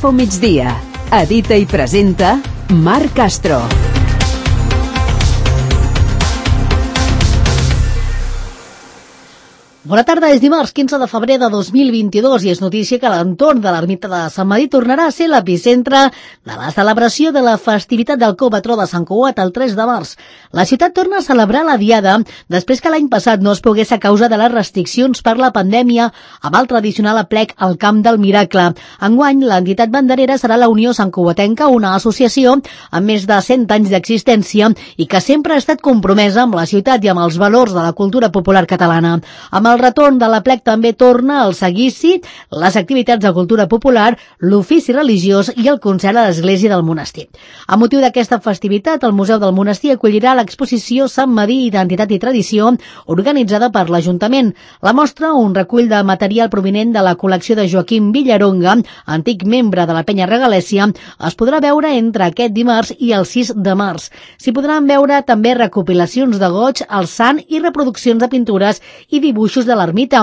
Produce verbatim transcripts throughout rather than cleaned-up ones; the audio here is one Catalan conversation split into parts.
Info Migdia. Edita i presenta Marc Castro. Bona tarda, és dimarts quinze de febrer de dos mil vint-i-dos i és notícia que l'entorn de l'ermita de Sant Medir tornarà a ser l'epicentre de la celebració de la festivitat del copatró de Sant Cugat el tres de març. La ciutat torna a celebrar la diada després que l'any passat no es pogués a causa de les restriccions per la pandèmia amb el tradicional aplec al Camp del Miracle. Enguany, l'entitat banderera serà la Unió Santcugatenca, una associació amb més de cent anys d'existència i que sempre ha estat compromesa amb la ciutat i amb els valors de la cultura popular catalana. Amb el El retorn de l'aplec també torna el seguici, les activitats de cultura popular, l'ofici religiós i el concert a l'església del monestir. A motiu d'aquesta festivitat, el Museu del Monestir acollirà l'exposició Sant Medir, Identitat i Tradició, organitzada per l'Ajuntament. La mostra, un recull de material provinent de la col·lecció de Joaquim Villaronga, antic membre de la Penya Regalèssia, es podrà veure entre aquest dimarts i el sis de març. S'hi podran veure també recopilacions de goig, el sant i reproduccions de pintures i dibuixos de l'ermita,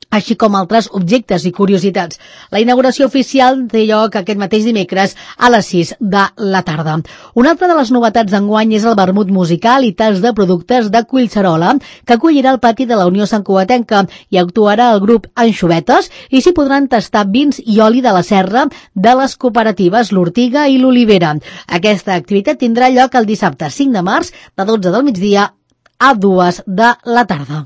així com altres objectes i curiositats. La inauguració oficial té lloc aquest mateix dimecres a les sis de la tarda. Una altra de les novetats d'enguany és el vermut musical i tast de productes de Collserola, que acollirà el pati de la Unió Santcugatenca i actuarà el grup Anxovetes i s'hi podran tastar vins i oli de la serra de les cooperatives L'Ortiga i l'Olivera. Aquesta activitat tindrà lloc el dissabte cinc de març de dotze del migdia a dues de la tarda.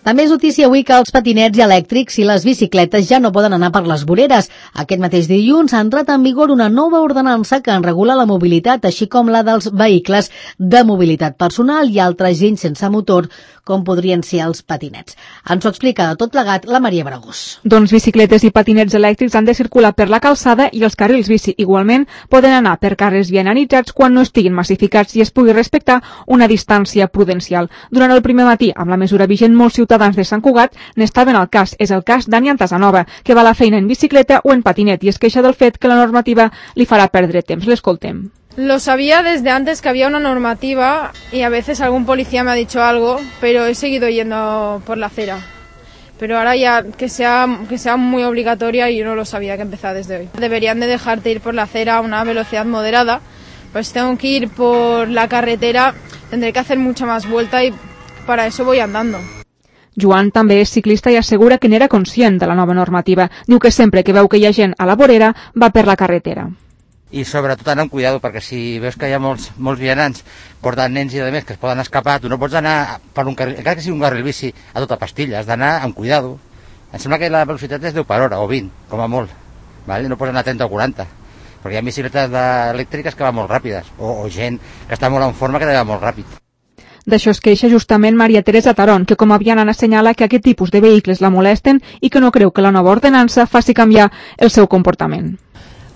També és notícia avui que els patinets elèctrics i les bicicletes ja no poden anar per les voreres. Aquest mateix dilluns ha entrat en vigor una nova ordenança que en regula la mobilitat, així com la dels vehicles de mobilitat personal i altra gent sense motor, com podrien ser els patinets. Ens ho explica de tot plegat la Maria Bragús. Doncs bicicletes i patinets elèctrics han de circular per la calçada i els carrils bici igualment poden anar per carrers vianalitzats quan no estiguin massificats i es pugui respectar una distància prudencial. Durant el primer matí, amb la mesura vigent, molts ciutadans de Sant Cugat n'estaven al cas. És el cas d'Ani Antasanova, que va a la feina en bicicleta o en patinet i es queixa del fet que la normativa li farà perdre temps. L'escoltem. Lo sabía desde antes que había una normativa y a veces algún policía me ha dicho algo, pero he seguido yendo por la acera. Pero ahora ya que sea, que sea muy obligatoria y yo no lo sabía que empezaba desde hoy. Deberían de dejarte ir por la acera a una velocidad moderada, pues tengo que ir por la carretera, tendré que hacer mucha más vuelta y para eso voy andando. Joan també és ciclista i assegura que n'era conscient de la nova normativa. Diu que sempre que veu que hi ha gent a la vorera va per la carretera. I sobretot anar amb cuidado, perquè si veus que hi ha molts, molts vianants portant nens i de més que es poden escapar, tu no pots anar per un carril, encara que sigui un carril bici, a tota pastilla, has d'anar amb cuidado. Em sembla que la velocitat és deu per hora o vint, com a molt, vale? No pots anar a trenta o quaranta, perquè hi ha bicicletes elèctriques que van molt ràpides, o, o gent que està molt en forma que va molt ràpid. D'això es queixa justament Maria Teresa Taron, que com a vianant assenyala que aquest tipus de vehicles la molesten i que no creu que la nova ordenança faci canviar el seu comportament.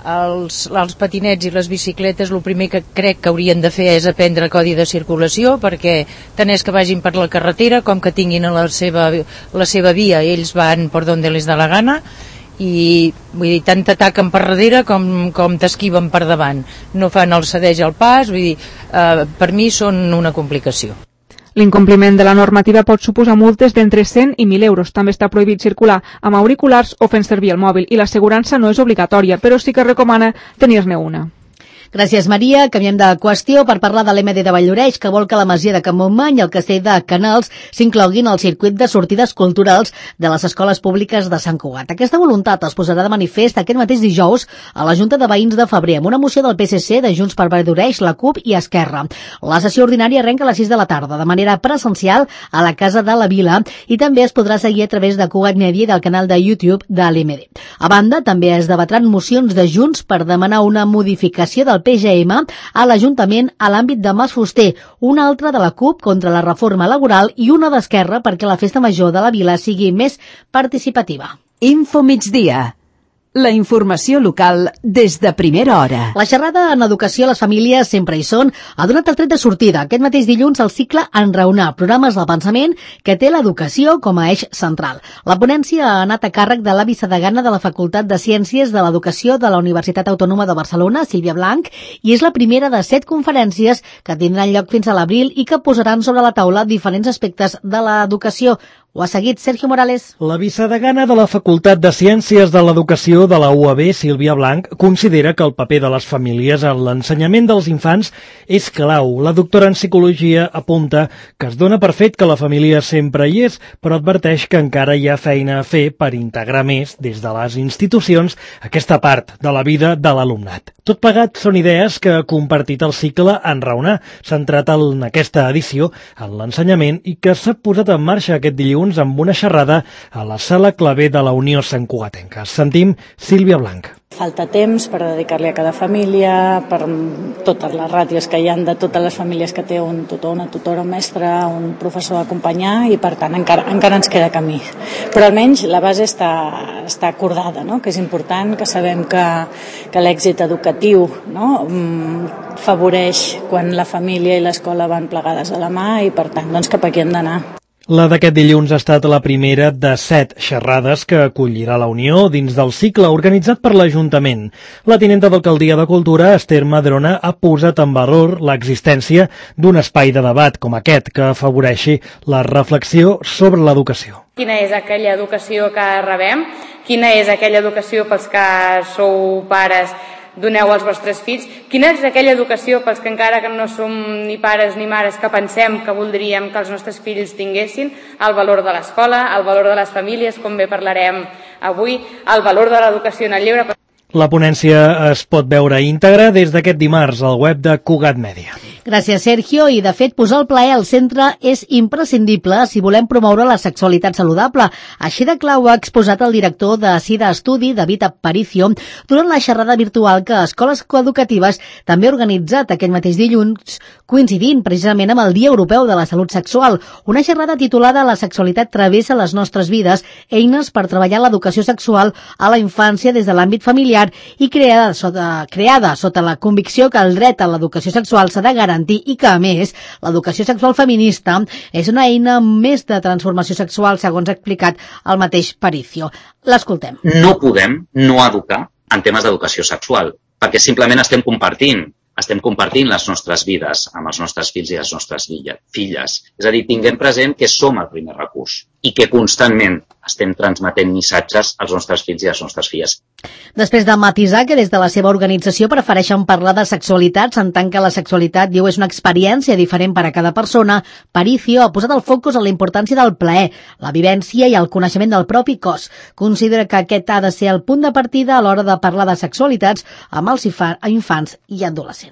Els, els patinets i les bicicletes el primer que crec que haurien de fer és aprendre codi de circulació, perquè tant és que vagin per la carretera com que tinguin la seva, la seva via, ells van per on les da la gana i vull dir, tant t'ataquen per darrere com, com t'esquiven per davant, no fan el cedeix al pas, vull dir, eh, per mi són una complicació. L'incompliment de la normativa pot suposar multes d'entre cent i mil euros. També està prohibit circular amb auriculars o fent servir el mòbil i l'assegurança no és obligatòria, però sí que recomana tenir-ne una. Gràcies, Maria. Canviem de qüestió per parlar de l'M D de Valldoreix, que vol que la masia de Can Montmany i el castell de Canals s'incloguin al circuit de sortides culturals de les escoles públiques de Sant Cugat. Aquesta voluntat es posarà de manifest aquest mateix dijous a la Junta de Veïns de Febrer, amb una moció del P S C, de Junts per Valldoreix, la CUP i Esquerra. La sessió ordinària arrenca a les sis de la tarda, de manera presencial a la Casa de la Vila, i també es podrà seguir a través de Cugat Media i del canal de YouTube de l'M D. A banda, també es debatran mocions de Junts per demanar una modificació del P G M a l'Ajuntament a l'àmbit de Mas Fuster, una altra de la CUP contra la reforma laboral i una d'Esquerra perquè la festa major de la vila sigui més participativa. Info Migdia. La informació local des de primera hora. La xerrada en educació a les famílies sempre hi són ha donat el tret de sortida aquest mateix dilluns al cicle Enraonar, programes del pensament que té l'educació com a eix central. La ponència ha anat a càrrec de la vicedegana de la Facultat de Ciències de l'Educació de la Universitat Autònoma de Barcelona, Sílvia Blanc, i és la primera de set conferències que tindran lloc fins a l'abril i que posaran sobre la taula diferents aspectes de l'educació. Ho ha seguit Sergio Morales. La vicedegana de la Facultat de Ciències de l'Educació de la U A B, Sílvia Blanc, considera que el paper de les famílies en l'ensenyament dels infants és clau. La doctora en Psicologia apunta que es dona per fet que la família sempre hi és, però adverteix que encara hi ha feina a fer per integrar més des de les institucions aquesta part de la vida de l'alumnat. Tot plegat són idees que ha compartit el cicle Enraonar, centrat en aquesta edició en l'ensenyament i que s'ha posat en marxa aquest dilluns amb una xerrada a la Sala Clavé de la Unió Santcugatenca. Sentim Sílvia Blanc. Falta temps per dedicar-li a cada família, per totes les ràtios que hi ha de totes les famílies que té un tutor, una tutora, un mestre, un professor a acompanyar i per tant encara, encara ens queda camí. Però almenys la base està, està acordada, no? Que és important, que sabem que, que l'èxit educatiu, no? Favoreix quan la família i l'escola van plegades a la mà i per tant doncs, cap aquí hem d'anar. La d'aquest dilluns ha estat la primera de set xerrades que acollirà la Unió dins del cicle organitzat per l'Ajuntament. La tinenta d'Alcaldia de Cultura, Esther Madrona, ha posat en valor l'existència d'un espai de debat com aquest que afavoreixi la reflexió sobre l'educació. Quina és aquella educació que rebem? Quina és aquella educació pels que sou pares doneu als vostres fills? Quina és aquella educació pels que encara que no som ni pares ni mares que pensem que voldríem que els nostres fills tinguessin? El valor de l'escola, el valor de les famílies, com bé parlarem avui, el valor de l'educació en el lleure. La ponència es pot veure íntegra des d'aquest dimarts al web de Cugat Mèdia. Gràcies, Sergio. I, de fet, posar el plaer al centre és imprescindible si volem promoure la sexualitat saludable. Així de clar ho ha exposat el director de SIDA Estudi, David Aparicio, durant la xerrada virtual que Escoles Coeducatives també ha organitzat aquest mateix dilluns, coincidint precisament amb el Dia Europeu de la Salut Sexual. Una xerrada titulada La sexualitat travessa les nostres vides, eines per treballar l'educació sexual a la infància des de l'àmbit familiar i creada sota, creada sota la convicció que el dret a l'educació sexual s'ha de garantir i que, a més, l'educació sexual feminista és una eina més de transformació sexual, segons ha explicat el mateix Paricio. L'escoltem. No podem no educar en temes d'educació sexual, perquè simplement estem compartint estem compartint les nostres vides amb els nostres fills i les nostres filles. És a dir, tinguem present que som el primer recurs i que constantment estem transmetent missatges als nostres fills i a les nostres filles. Després de matisar que des de la seva organització prefereixen parlar de sexualitats en tant que la sexualitat, diu, és una experiència diferent per a cada persona, Paricio ha posat el focus en la importància del plaer, la vivència i el coneixement del propi cos. Considera que aquest ha de ser el punt de partida a l'hora de parlar de sexualitats amb els infants i adolescents.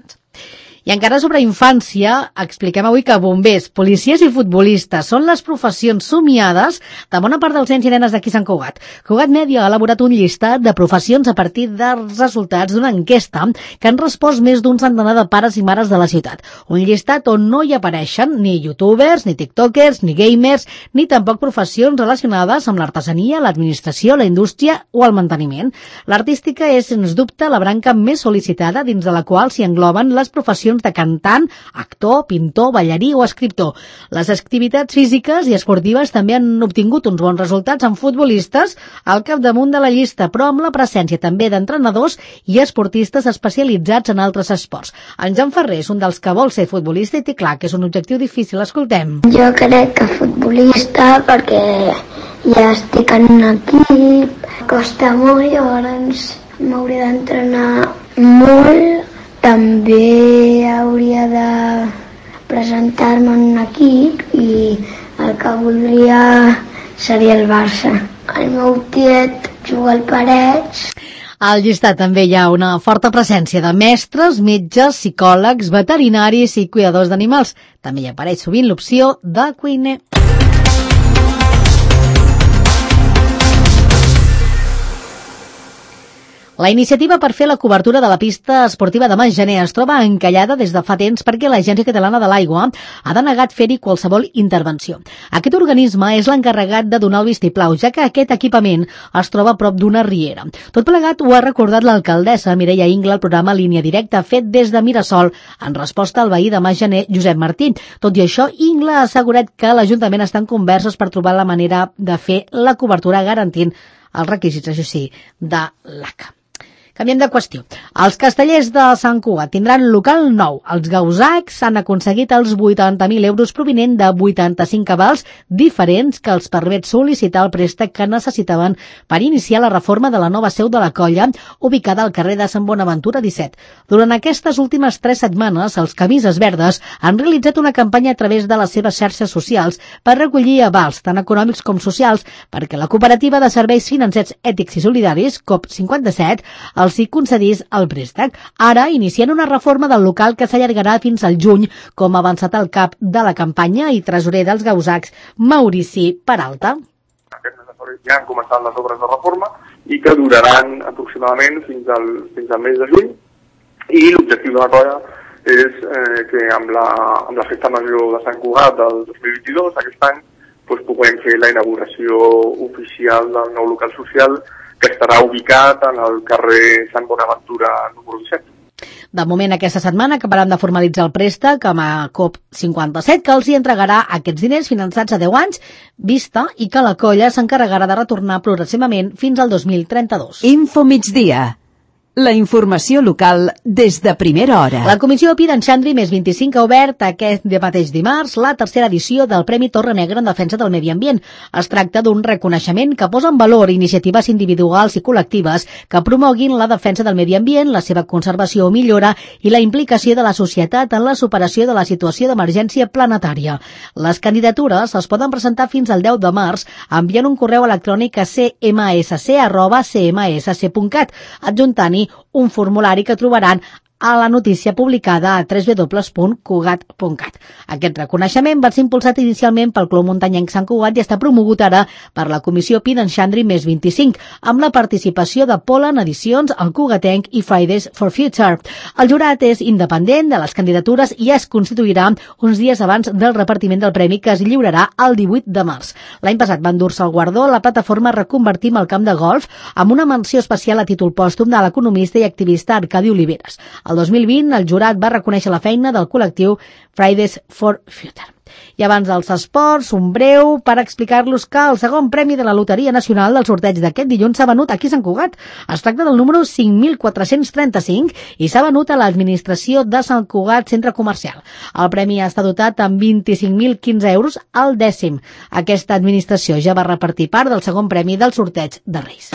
I encara sobre infància, expliquem avui que bombers, policies i futbolistes són les professions somiades de bona part dels nens i nenes d'aquí Sant Cugat. Cugat Mèdia ha elaborat un llistat de professions a partir dels resultats d'una enquesta que han respost més d'un centenar de pares i mares de la ciutat. Un llistat on no hi apareixen ni youtubers, ni tiktokers, ni gamers, ni tampoc professions relacionades amb l'artesania, l'administració, la indústria o el manteniment. L'artística és, sens dubte, la branca més sol·licitada dins de la qual s'hi engloben les professions de cantant, actor, pintor, ballarí o escriptor. Les activitats físiques i esportives també han obtingut uns bons resultats amb futbolistes al capdamunt de la llista, però amb la presència també d'entrenadors i esportistes especialitzats en altres esports. En Jan Ferrer és un dels que vol ser futbolista i té clar que és un objectiu difícil. Escoltem. Jo crec que futbolista perquè ja estic en un equip, costa molt, llavors m'hauré d'entrenar molt. També hauria de presentar-me en un equip i el que voldria seria el Barça. El meu tiet juga al Parets. Al llistat també hi ha una forta presència de mestres, metges, psicòlegs, veterinaris i cuidadors d'animals. També hi apareix sovint l'opció de cuiner. La iniciativa per fer la cobertura de la pista esportiva de Masgener es troba encallada des de fa temps perquè l'Agència Catalana de l'Aigua ha denegat fer-hi qualsevol intervenció. Aquest organisme és l'encarregat de donar el vistiplau, ja que aquest equipament es troba a prop d'una riera. Tot plegat ho ha recordat l'alcaldessa Mireia Ingla al programa Línia Directa fet des de Mirasol en resposta al veí de Masgener, Josep Martí. Tot i això, Ingla ha assegurat que l'Ajuntament està en converses per trobar la manera de fer la cobertura garantint els requisits, això sí, de l'A C A. Canviem de qüestió. Els castellers de Sant Cugat tindran local nou. Els gausacs han aconseguit els vuitanta mil euros provinent de vuitanta-cinc avals diferents que els permet sol·licitar el préstec que necessitaven per iniciar la reforma de la nova seu de la colla, ubicada al carrer de Sant Bonaventura disset. Durant aquestes últimes tres setmanes, els Camises Verdes han realitzat una campanya a través de les seves xarxes socials per recollir avals, tant econòmics com socials, perquè la Cooperativa de Serveis Financers Ètics i Solidaris, C O P cinquanta-set, els hi concedís el préstec. Ara inicien una reforma del local que s'allargarà fins al juny, com ha avançat el cap de la campanya i tresorer dels gausacs, Maurici Peralta. Aquest mes de febrer ja han començat les obres de reforma i que duraran aproximadament fins al, fins al mes de juny, i l'objectiu de la colla és eh, que amb la, amb la festa major de Sant Cugat del dos mil vint-i-dos, aquest any, doncs, puguem fer la inauguració oficial del nou local social que estarà ubicat en el carrer Sant Bonaventura número disset. De moment, aquesta setmana acabaran de formalitzar el préstec amb a C O P cinquanta-set, que els hi entregarà aquests diners finançats a deu anys vista i que la colla s'encarregarà de retornar progressivament fins al dos mil trenta-dos. Info migdia. La informació local des de primera hora. La Comissió Pi d'en Xandri més vint-i-cinc ha obert aquest de mateix dimarts la tercera edició del Premi Torre Negra en defensa del medi ambient. Es tracta d'un reconeixement que posa en valor iniciatives individuals i col·lectives que promoguin la defensa del medi ambient, la seva conservació o millora i la implicació de la societat en la superació de la situació d'emergència planetària. Les candidatures es poden presentar fins al deu de març enviant un correu electrònic a c m s c arroba c m s c punt cat, adjuntant-hi un formulari que trobaran a la notícia publicada a w w w punt cugat punt cat. Aquest reconeixement va ser impulsat inicialment pel Club Muntanyenc Sant Cugat i està promogut ara per la Comissió Pi d'en Xandri més vint-i-cinc, amb la participació de Polen Edicions, el Cugatenc i Fridays for Future. El jurat és independent de les candidatures i es constituirà uns dies abans del repartiment del premi, que es lliurarà el divuit de març. L'any passat va endur-se el guardó la plataforma Reconvertim el camp de golf, amb una menció especial a títol pòstum de l'economista i activista Arcadi Oliveres. El dos mil vint, el jurat va reconèixer la feina del col·lectiu Fridays for Future. I abans dels esports, un breu per explicar-los que el segon premi de la Loteria Nacional del sorteig d'aquest dilluns s'ha venut aquí a Sant Cugat. Es tracta del número cinc mil quatre-cents trenta-cinc i s'ha venut a l'administració de Sant Cugat Centre Comercial. El premi està dotat amb vint-i-cinc mil quinze euros al dècim. Aquesta administració ja va repartir part del segon premi del sorteig de Reis.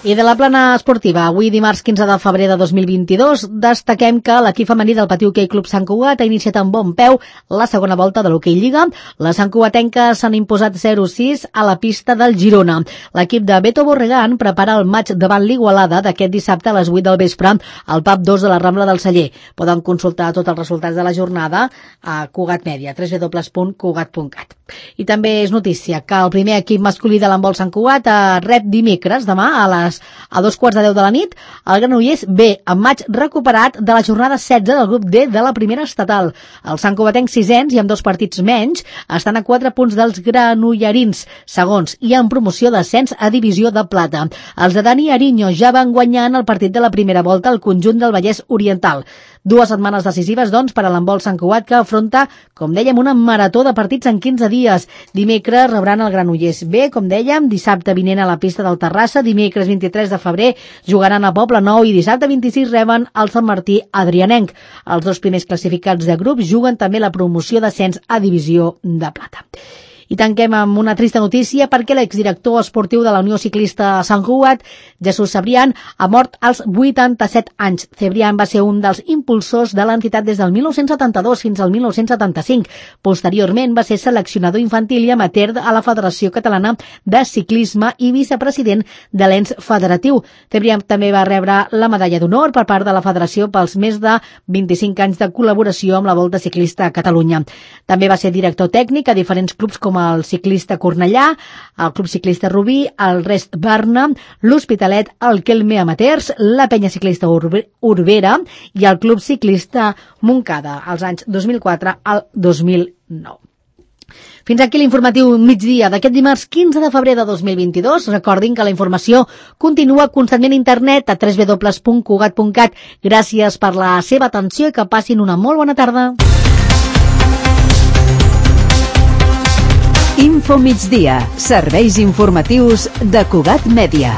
I de la plana esportiva, avui dimarts quinze de febrer de dos mil vint-i-dos, destaquem que l'equip femení del Patí Hoquei Club Sant Cugat ha iniciat amb bon peu la segona volta de l'Hoquei Lliga. Les santcugatenques s'han imposat zero sis a la pista del Girona. L'equip de Beto Borregan prepara el maig davant l'Igualada d'aquest dissabte a les vuit del vespre al pub dos de la Rambla del Celler. Poden consultar tots els resultats de la jornada a Cugat Media, w w w punt cugat punt cat. I també és notícia que el primer equip masculí de l'handbol Sant Cugat rep dimecres, demà, a les a dos quarts de deu de la nit, el Granollers B, amb maig recuperat de la jornada setze del grup D de la primera estatal. Els santcugatencs sisens i amb dos partits menys estan a quatre punts dels granollerins, segons, i en promoció d'ascens a divisió de plata. Els de Dani Ariño ja van guanyar en el partit de la primera volta al conjunt del Vallès Oriental. Dues setmanes decisives, doncs, per a l'handbol Sant Cugat, que afronta, com dèiem, una marató de partits en quinze dies. Dimecres rebran el Granollers B, com dèiem, dissabte vinent a la pista del Terrassa, dimecres vint-i-tres de febrer jugaran a Poble Nou i dissabte vint-i-sis reben el Sant Martí Adrianenc. Els dos primers classificats de grup juguen també la promoció d'ascens a divisió de plata. I tanquem amb una trista notícia perquè l'exdirector esportiu de la Unió Ciclista Sant Cugat, Jesús Cebrián, ha mort als vuitanta-set anys. Cebrián va ser un dels impulsors de l'entitat des del mil nou-cents setanta-dos fins al mil nou-cents setanta-cinc. Posteriorment va ser seleccionador infantil i amateur a la Federació Catalana de Ciclisme i vicepresident de l'ens federatiu. Cebrián també va rebre la medalla d'honor per part de la Federació pels més de vint-i-cinc anys de col·laboració amb la Volta Ciclista a Catalunya. També va ser director tècnic a diferents clubs com el Ciclista Cornellà, el Club Ciclista Rubí, el Rest Barna, l'Hospitalet, el Kelme Amateurs, la Penya Ciclista Urbera i el Club Ciclista Montcada, als anys dos mil quatre al dos mil nou. Fins aquí l'informatiu migdia d'aquest dimarts quinze de febrer de dos mil vint-i-dos. Recordin que la informació continua constantment a internet a w w w punt cugat punt cat. Gràcies per la seva atenció i que passin una molt bona tarda. Info Migdia, serveis informatius de Cugat Mèdia.